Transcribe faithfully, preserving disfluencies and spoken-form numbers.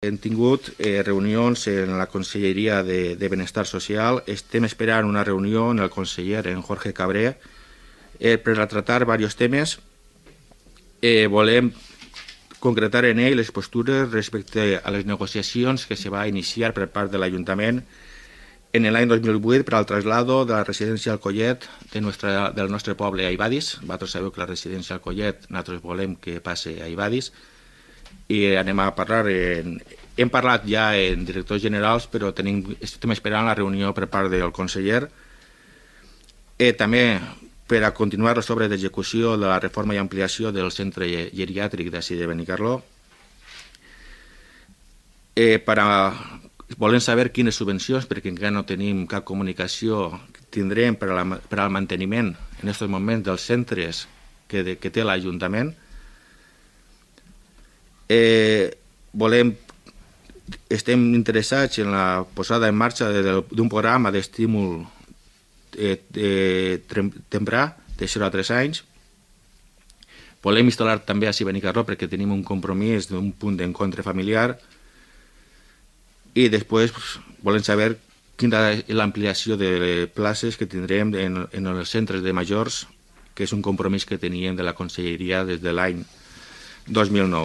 Hem tingut eh, reunions en la Conselleria de, de Benestar Social. Estem esperant una reunió en el conseller, en Jorge Cabré, eh, per a tractar diversos temes. Eh, volem concretar en ell les postures respecte a les negociacions que se va iniciar per part de l'Ajuntament en l'any dos mil vuit per al traslado de la residència Alcollet de nuestra, del nostre poble a Ibadis. Vosaltres sabeu que la residència Alcollet nosaltres volem que passe a Ibadis i anem a parlar en, hem parlat ja en directors generals, però tenim, estem esperant la reunió per part del conseller. Eh, també per a continuar les obres d'execució de la reforma i ampliació del centre geriàtric d'ací de Benicarló. Eh, per a, volem saber quines subvencions, perquè encara no tenim cap comunicació, tindrem per, a la, per al manteniment en aquests moments dels centres que, de, que té l'Ajuntament. Eh, volem, estem interessats en la posada en marxa d'un programa d'estímul eh, de, temprà de zero a tres anys. Volem instal·lar també a Benicarló perquè tenim un compromís d'un punt d'encontre familiar i després pues, volem saber quina és l'ampliació de places que tindrem en, en els centres de majors, que és un compromís que teníem de la Conselleria des de l'any dos mil nou.